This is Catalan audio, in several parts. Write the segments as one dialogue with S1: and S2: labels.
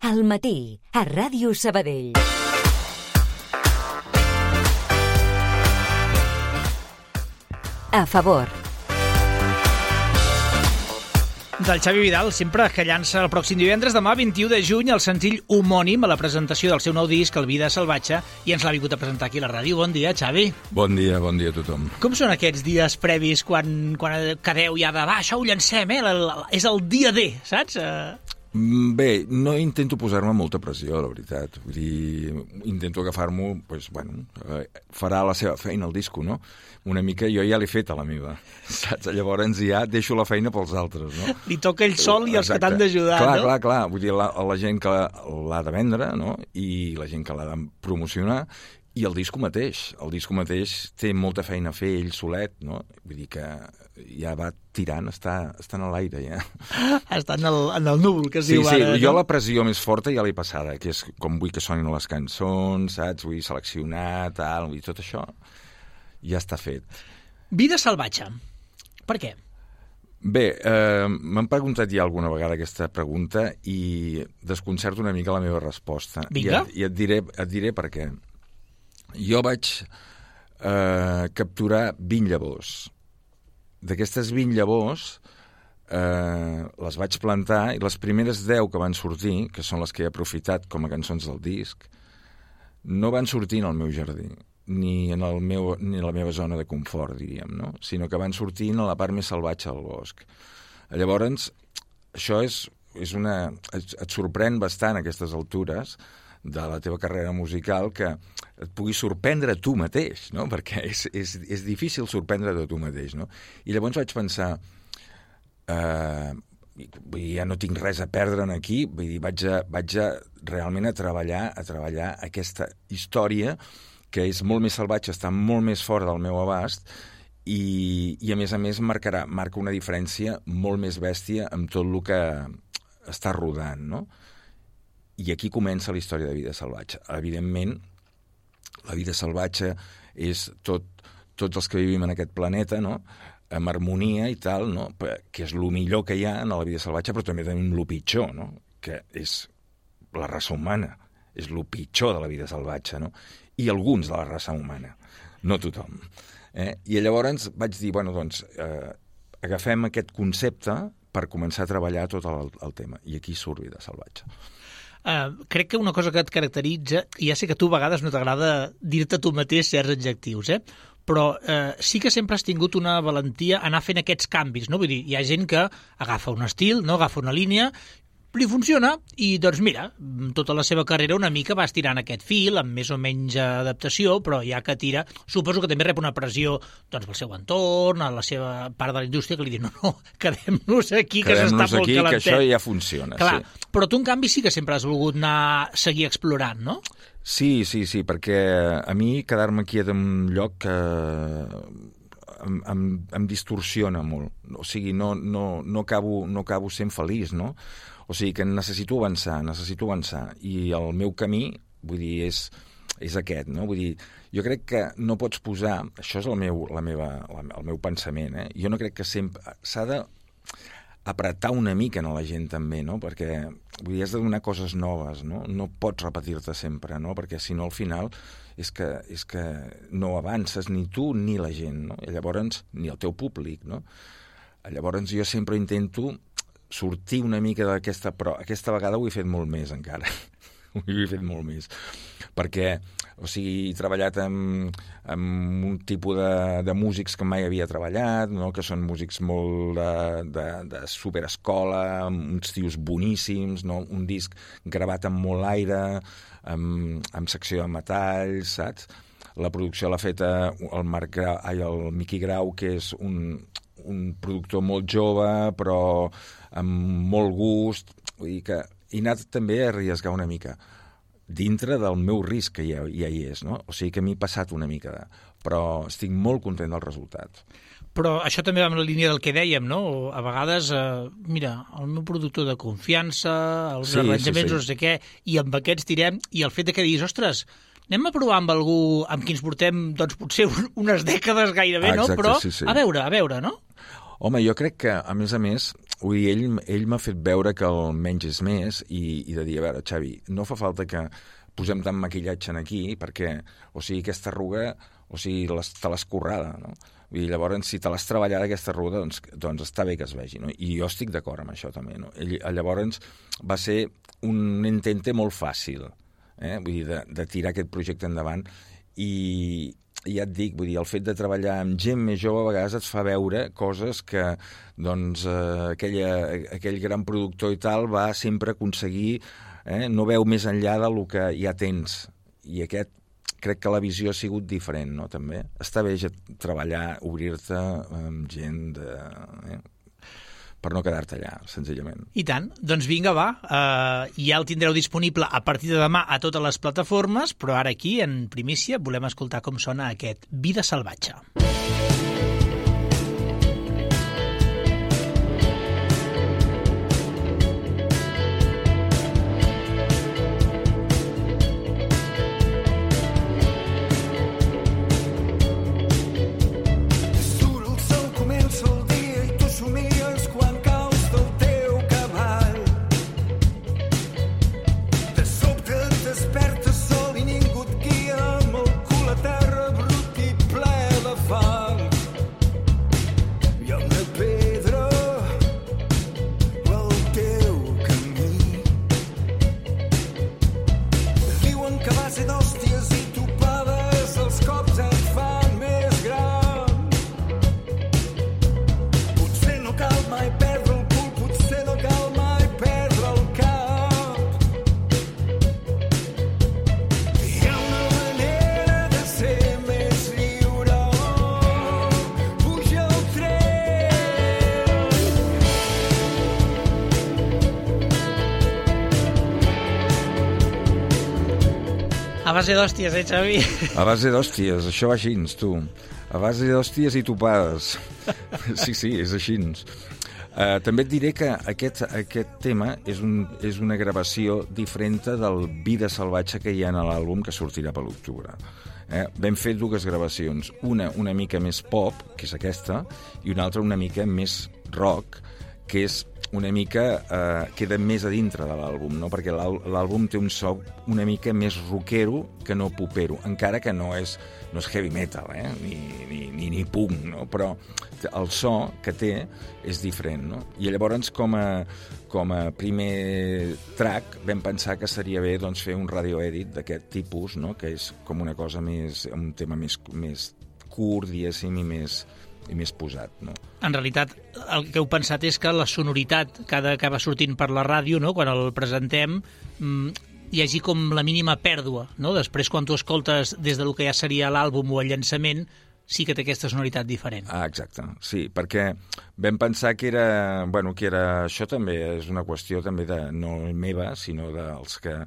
S1: Al matí, a Ràdio Sabadell. A favor.
S2: Del Xavi Vidal, sempre que llança el pròxim divendres, demà 21 de juny, el senzill homònim a la presentació del seu nou disc, El Vida Salvatge, i ens l'ha vingut a presentar aquí a la ràdio. Bon dia, Xavi.
S3: Bon dia a tothom.
S2: Com són aquests dies previs quan quedeu ja de, va, això ho llancem, és el dia D, saps?
S3: Bé, no intento posar-me molta pressió, la veritat. Vull dir, intento agafar-m'ho, doncs, bueno, farà la seva feina el disco, no? Una mica jo ja l'he fet a la meva, saps? Llavors ja deixo la feina pels altres, no?
S2: Li toca ell sol i els que t'han d'ajudar, no?
S3: Clar. Vull dir, la gent que l'ha de vendre, no? I la gent que l'ha de promocionar, i el disco mateix. El disco mateix té molta feina a fer ell solet, no? Vull dir que ja va tirant, està en l'aire, ja.
S2: Està en el núvol, que es diu ara.
S3: Sí, jo la pressió més forta ja l'he passada, que és com vull que sonin les cançons, saps? Vull seleccionar, tal, vull dir, tot això ja està fet.
S2: Vida salvatge. Per què?
S3: Bé, m'han preguntat ja alguna vegada aquesta pregunta i desconcerto una mica la meva resposta.
S2: Vinga.
S3: I et diré per què. Jo vaig capturar 20 llavors. D'aquestes 20 llavors les vaig plantar i les primeres 10 que van sortir, que són les que he aprofitat com a cançons del disc, no van sortir en el meu jardí, ni en la meva zona de confort, diríem, no? Sinó que van sortint a la part més salvatge del bosc. Llavors, això et sorprèn bastant a aquestes altures de la teva carrera musical que et pugui sorprendre tu mateix, no? Perquè és difícil sorprendre-te tu mateix, no? I llavors vaig pensar, ja no tinc res a perdre aquí, vull dir, vaig realment a treballar aquesta història que és molt més salvatge, està molt més fora del meu abast i a més marca una diferència molt més bèstia amb tot el que està rodant, no? I aquí comença la història de Vida Salvatge. Evidentment, la vida salvatge és tots els que vivim en aquest planeta, no? Amb harmonia i tal, no? Que és el millor que hi ha en la vida salvatge, però també tenim el pitjor, no? Que és la raça humana, és el pitjor de la vida salvatge, no? I alguns de la raça humana, no tothom. I llavors vaig dir, bueno, doncs, agafem aquest concepte per començar a treballar tot el tema. I aquí surt Vida Salvatge.
S2: Crec que una cosa que et caracteritza, i ja sé que a tu a vegades no t'agrada dir-te tu mateix certs adjectius, però sí que sempre has tingut una valentia a anar fent aquests canvis, no? Vull dir, hi ha gent que agafa un estil, no agafa una línia, li funciona i, doncs mira, tota la seva carrera una mica va estirant aquest fil, amb més o menys adaptació, però ja que tira, suposo que també rep una pressió doncs pel seu entorn, a la seva part de la indústria, que li diu, no, quedem-nos aquí, que s'està molt calentet.
S3: Que això ja funciona.
S2: Clar,
S3: sí.
S2: Però tu, en canvi, sí que sempre has volgut seguir explorant, no?
S3: Sí, perquè a mi quedar-me quiet en un lloc em distorsiona molt. O sigui, no acabo sent feliç, no? O sigui que necessito avançar. I el meu camí, vull dir, és aquest, no? Vull dir, jo crec que no pots posar... Això és el meu pensament, Jo no crec que sempre... S'ha d'apretar una mica a la gent, també, no? Perquè, vull dir, has de donar coses noves, no? No pots repetir-te sempre, no? Perquè, si no, al final, és que no avances ni tu ni la gent, no? I llavors, ni el teu públic, no? Llavors, jo sempre intento sortir una mica d'aquesta... Però aquesta vegada ho he fet molt més, encara. Ho he fet molt més. Perquè, o sigui, he treballat amb un tipus de músics que mai havia treballat, no? Que són músics molt de superescola, amb uns tios boníssims, no? Un disc gravat amb molt aire, amb secció de metalls, saps? La producció l'ha fet el Miqui Grau, que és un productor molt jove, però amb molt gust. Vull dir que he anat també a arriesgar una mica dintre del meu risc, que ja hi és, no? O sigui que m'he passat una mica, però estic molt content del resultat.
S2: Però això també va en la línia del que dèiem, no? A vegades, mira, el meu productor de confiança, els arranjaments, no sé què, i amb aquests tirem, i el fet de que diguis, ostres, anem a provar amb algú amb qui ens portem, doncs, potser unes dècades gairebé, no? Però,
S3: sí.
S2: a veure, no?
S3: Home, jo crec que, a més, vull dir, ell m'ha fet veure que el menys és més i de dir, a veure, Xavi, no fa falta que posem tant maquillatge aquí perquè, o sigui, aquesta arruga, o sigui, te l'has currada, no? Vull dir, llavors, si te l'has treballat aquesta arruga, doncs està bé que es vegi, no? I jo estic d'acord amb això també, no? Llavors va ser un intente molt fàcil, vull dir, de tirar aquest projecte endavant i ja et dic, vull dir, el fet de treballar amb gent més jove a vegades et fa veure coses que, doncs, aquell gran productor i tal va sempre aconseguir, no veu més enllà del que ja tens. I aquest, crec que la visió ha sigut diferent, no?, també. Està bé treballar, obrir-te amb gent per no quedar-te allà, senzillament.
S2: I tant. Doncs vinga, va. Ja el tindreu disponible a partir de demà a totes les plataformes, però ara aquí, en primícia, volem escoltar com sona aquest Vida salvatge. A base d'hòsties, Xavi?
S3: A base d'hòsties, això va així, tu. A base d'hòsties i topades. Sí, és així. També et diré que aquest tema és una gravació diferent del Vida salvatge que hi ha a l'àlbum que sortirà per l'octubre. Vam fer dues gravacions, una mica més pop, que és aquesta, i una altra una mica més rock, que és una mica queda més a dintre de l'àlbum, no? Perquè l'àlbum té un so una mica més rockero que no popero, encara que no és heavy metal, ni punk, no? Però el so que té és diferent, no? I llavors, com a primer track, vam pensar que seria bé doncs, fer un radio edit d'aquest tipus, no? Que és com una cosa més, un tema més curt, diguéssim, i més posat, no?
S2: En realitat, el que heu pensat és que la sonoritat que acaba sortint per la ràdio, no?, quan el presentem, hi hagi com la mínima pèrdua, no? Després, quan tu escoltes des del que ja seria l'àlbum o el llançament, sí que té aquesta sonoritat diferent.
S3: Ah, exacte, sí, perquè vam pensar que era... Això també és una qüestió també no meva, sinó dels que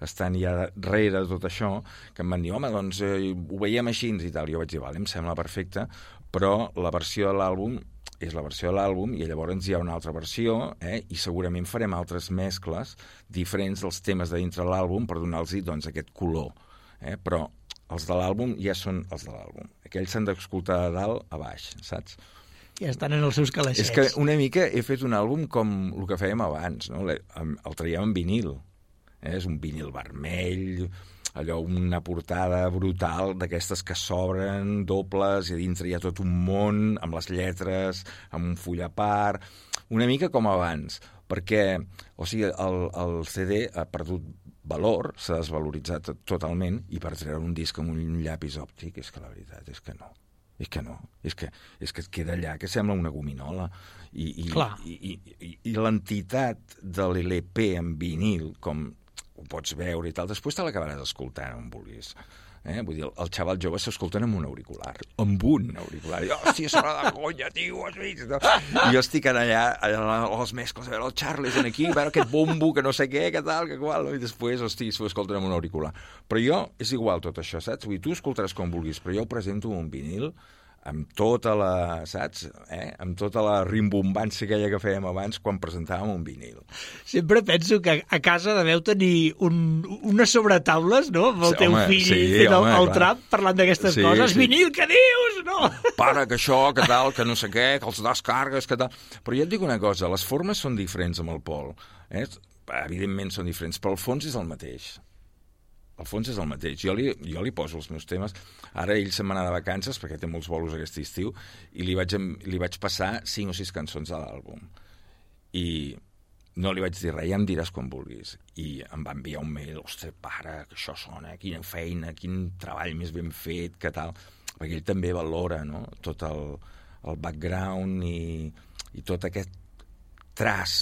S3: estan ja darrere de tot això, que em van dir, home, doncs ho veiem així i tal. Jo vaig dir, vale, em sembla perfecte, però la versió de l'àlbum és la versió de l'àlbum i llavors hi ha una altra versió i segurament farem altres mescles diferents dels temes de dintre l'àlbum per donar-los doncs, aquest color. Però els de l'àlbum ja són els de l'àlbum. Aquells s'han d'escoltar de dalt a baix, saps?
S2: Ja estan en els seus calaixets.
S3: És que una mica he fet un àlbum com el que fèiem abans, no? El traiem en vinil. És un vinil vermell, allò, una portada brutal d'aquestes que s'obren, dobles, i a dintre hi ha tot un món, amb les lletres, amb un full a part, una mica com abans, perquè, o sigui, el CD ha perdut valor, s'ha desvaloritzat totalment, i per treure un disc amb un llapis òptic, és que la veritat és que no. És que et queda allà, que sembla una gominola. I l'entitat de l'LP en vinil, com ho pots veure i tal, després te l'acabaràs escoltant on vulguis. Vull dir, el xaval jove s'escolten amb un auricular. Amb un auricular. I, hòstia, sona de conya, tio, has vist? No? I jo estic allà a les mescles, a veure el Charles aquí, a veure aquest bombo, que no sé què, que tal, que qual, no? I després, hosti, s'ho escolten amb un auricular. Però jo, és igual tot això, saps? Vull dir, tu escoltaràs com vulguis, però jo ho presento un vinil amb tota la, saps? Amb tota la rimbombància aquella que fèiem abans quan presentàvem un vinil.
S2: Sempre penso que a casa deveu tenir unes sobretaules, no?, amb el teu fill fent el trap, parlant d'aquestes coses. Sí. Vinil, què dius? No!
S3: Para, que això, que tal, que no sé què, que els descargues, que tal... Però ja et dic una cosa, les formes són diferents amb el Pol. Evidentment són diferents, però el fons és el mateix. El fons és el mateix. Jo li poso els meus temes. Ara ell se'n va anar de vacances, perquè té molts bolos aquest estiu, i li vaig passar 5 o 6 cançons a l'àlbum. I no li vaig dir res, ja em diràs quan vulguis. I em va enviar un mail, ostres, pare, que això sona, quina feina, quin treball més ben fet, que tal. Perquè ell també valora, no?, tot el background i tot aquest traç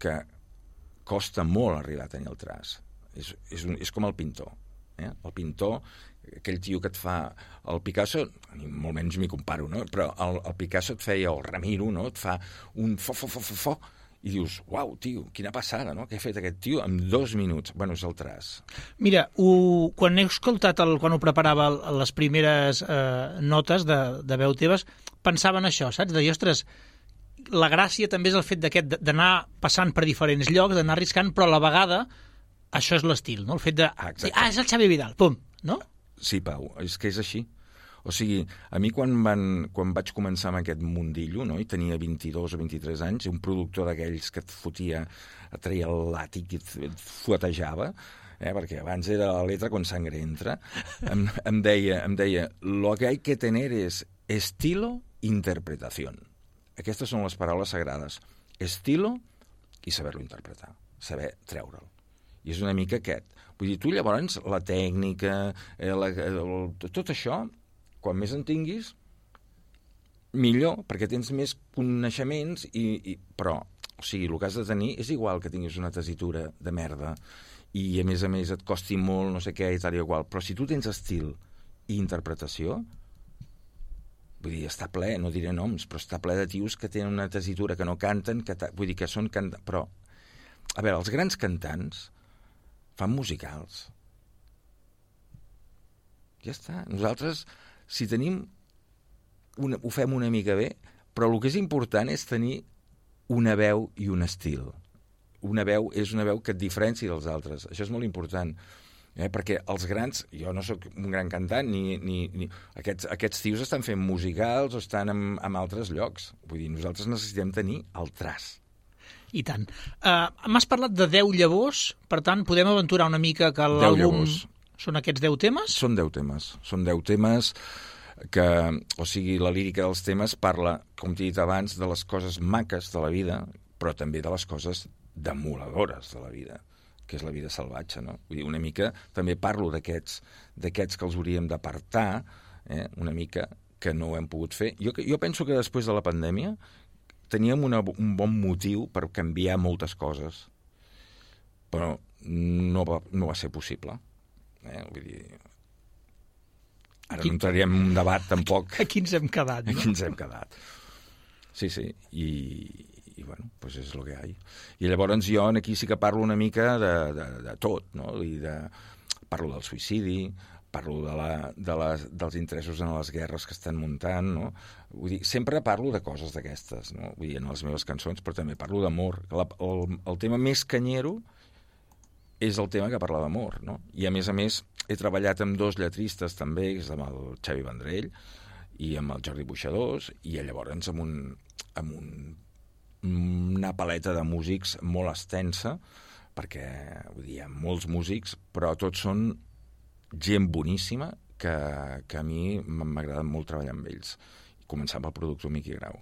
S3: que costa molt arribar a tenir el traç. És com el pintor. El pintor, aquell tio que et fa... El Picasso, molt menys m'hi comparo, no?, però el Picasso et feia, o el Ramiro, no?, et fa un fo, i dius, uau, tio, quina passada, no?, què ha fet aquest tio en 2 minuts. Bueno, és el traç.
S2: Mira, quan he escoltat, quan ho preparava les primeres notes de veu teves, pensava en això, saps? De dir, ostres, la gràcia també és el fet d'anar passant per diferents llocs, d'anar arriscant, però a la vegada això és l'estil, no? El fet de... és el Xavi Vidal, pum, no?
S3: Sí, Pau, és que és així. O sigui, a mi quan vaig començar amb aquest mundillo, no?, i tenia 22 o 23 anys, un productor d'aquells que et fotia, et treia el làtic i et fuetejava, perquè abans era la letra con sangre entra, em deia, lo que hay que tener es estilo, interpretación. Aquestes són les paraules sagrades. Estilo i saber-lo interpretar, saber treure'l. I és una mica aquest. Vull dir, tu llavors, la tècnica, tot això, quan més en tinguis, millor, perquè tens més coneixements, però, o sigui, el que has de tenir és igual que tinguis una tessitura de merda i, a més, et costi molt, no sé què, i tal i igual. Però si tu tens estil i interpretació, vull dir, està ple, no diré noms, però està ple de tios que tenen una tessitura que no canten, vull dir, que són cantants, però, a veure, els grans cantants fan musicals. Ja està. Nosaltres, si tenim... ho fem una mica bé, però el que és important és tenir una veu i un estil. Una veu és una veu que et diferencia dels altres. Això és molt important. Perquè els grans... Jo no sóc un gran cantant, ni aquests tios estan fent musicals o estan en altres llocs. Vull dir, nosaltres necessitem tenir el traç.
S2: I tant. M'has parlat de 10 llavors, per tant, podem aventurar una mica que l'àlbum... Són aquests 10 temes?
S3: Són 10 temes. Són 10 temes que, o sigui, la lírica dels temes parla, com t'he dit abans, de les coses maques de la vida, però també de les coses demoladores de la vida, que és la vida salvatge, no? Vull dir, una mica també parlo d'aquests que els hauríem d'apartar, una mica, que no ho hem pogut fer. Jo penso que després de la pandèmia teníem un bon motiu per canviar moltes coses, però no va ser possible. Vull dir, ara no entraríem en un debat tampoc.
S2: Aquí ens hem quedat, no?
S3: Aquí ens hem quedat. Sí, i bueno, pues és el que hi ha. I llavors jo aquí sí que parlo una mica de tot, no? Parlo del suïcidi, parlo dels interessos en les guerres que estan muntant, no? Vull dir, sempre parlo de coses d'aquestes, no? Vull dir, en les meves cançons, però també parlo d'amor. El tema més canyero és el tema que parla d'amor, no? I, a més, he treballat amb 2 lletristes també, que és amb el Xavi Vendrell i amb el Jordi Buixadors, i llavors amb una paleta de músics molt extensa, perquè, vull dir, hi ha molts músics, però tots són gent boníssima que a mi m'agrada molt treballar amb ells. Començant pel productor Miqui Grau.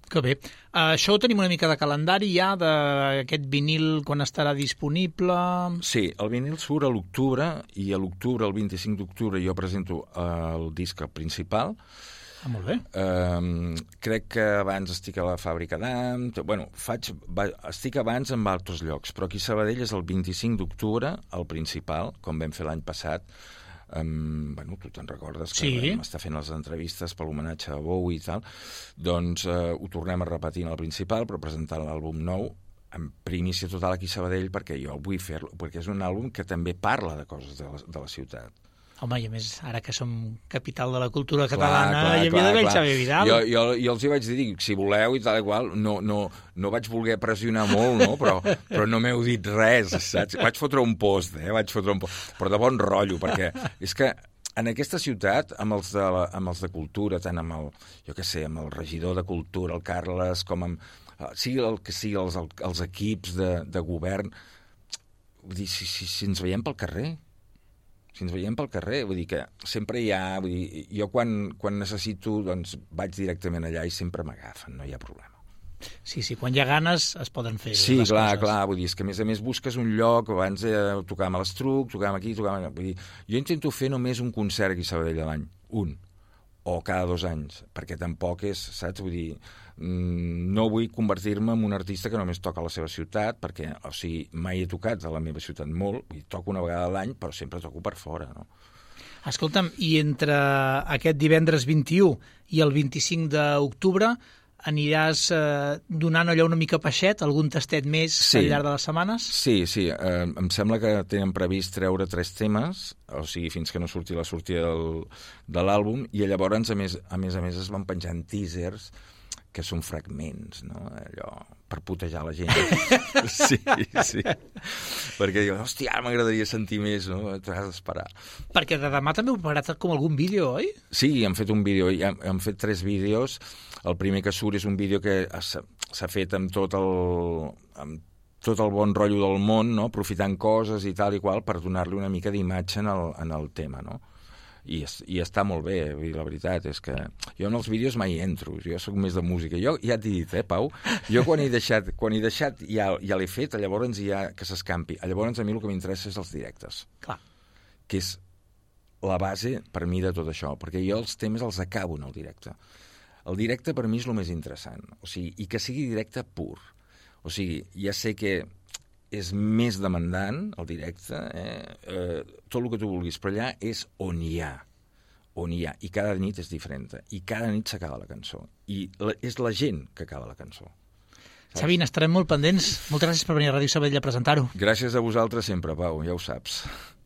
S2: Que bé. Això ho tenim una mica de calendari ja, d'aquest vinil, quan estarà disponible?
S3: Sí, el vinil surt a l'octubre, i a l'octubre, el 25 d'octubre, jo presento el disc principal.
S2: Molt bé.
S3: Crec que abans estic a la Fàbrica d'Am... Bueno, estic abans en altres llocs, però aquí a Sabadell és el 25 d'octubre, el principal, com vam fer l'any passat. Bueno, tu te'n recordes que vam estar fent les entrevistes per l'homenatge a Bowie i tal, doncs ho tornem a repetir en el principal, però presentant l'àlbum nou en primícia total aquí a Sabadell, perquè jo vull fer-lo, perquè és un àlbum que també parla de coses de la ciutat.
S2: Home, i a més, ara que som capital de la cultura catalana, hi havia d'haver el Xavier Vidal.
S3: Jo els hi vaig dir, si voleu i tal i qual, no vaig voler pressionar molt, no? però no m'heu dit res, saps? Vaig fotre un post, però de bon rotllo, perquè és que en aquesta ciutat, amb els de cultura, tant amb amb el regidor de cultura, el Carles, com amb sigui el que sigui, els equips de govern, vull dir, si ens veiem pel carrer, vull dir que sempre hi ha... Vull dir, jo quan necessito, doncs vaig directament allà i sempre m'agafen, no hi ha problema.
S2: Sí, quan hi ha ganes es poden fer
S3: sí,
S2: les coses.
S3: Clar, vull dir, és que a més busques un lloc, abans tocàvem a l'Estruc, tocàvem aquí, vull dir, jo intento fer només un concert aquí a Sabadell a l'any, o cada 2 anys, perquè tampoc és, saps? Vull dir, no vull convertir-me en un artista que només toca a la seva ciutat, perquè, mai he tocat a la meva ciutat molt, vull dir, toco una vegada a l'any, però sempre toco per fora, no?
S2: Escolta'm, i entre aquest divendres 21 i el 25 d'octubre aniràs donant allò una mica peixet, algun tastet més al llarg de les setmanes?
S3: Sí, em sembla que tenen previst treure 3 temes, o sigui, fins que no surti la sortida de l'àlbum, i llavors, a més, es van penjant teasers que són fragments, no? Allò, per putejar la gent. Sí. Perquè diuen, hòstia, m'agradaria sentir més, no? T'has d'esperar.
S2: Perquè de demà també heu preparat com algun vídeo, oi?
S3: Sí, hem fet un vídeo, hem fet 3 vídeos. El primer que surt és un vídeo que s'ha fet amb tot el bon rotllo del món, no? Aprofitant coses i tal i qual per donar-li una mica d'imatge en el tema, no? I està molt bé, la veritat és que jo en els vídeos mai entro, jo sóc més de música. Jo ja t'he dit, Pau, jo quan he deixat ja l'he fet, llavors ja que s'escampi. Llavors a mi el que m'interessa és els directes.
S2: Clar.
S3: Que és la base per mi de tot això, perquè jo els temes els acabo en el directe. El directe per mi és el més interessant, o sigui, i que sigui directe pur. O sigui, ja sé que és més demandant, el directe, tot el que tu vulguis, però allà és on hi ha, i cada nit és diferent, i cada nit s'acaba la cançó, i és la gent que acaba la cançó.
S2: Xavi, n'estarem molt pendents. Moltes gràcies per venir a Ràdio Sabadell a presentar-ho.
S3: Gràcies a vosaltres sempre, Pau, ja ho saps.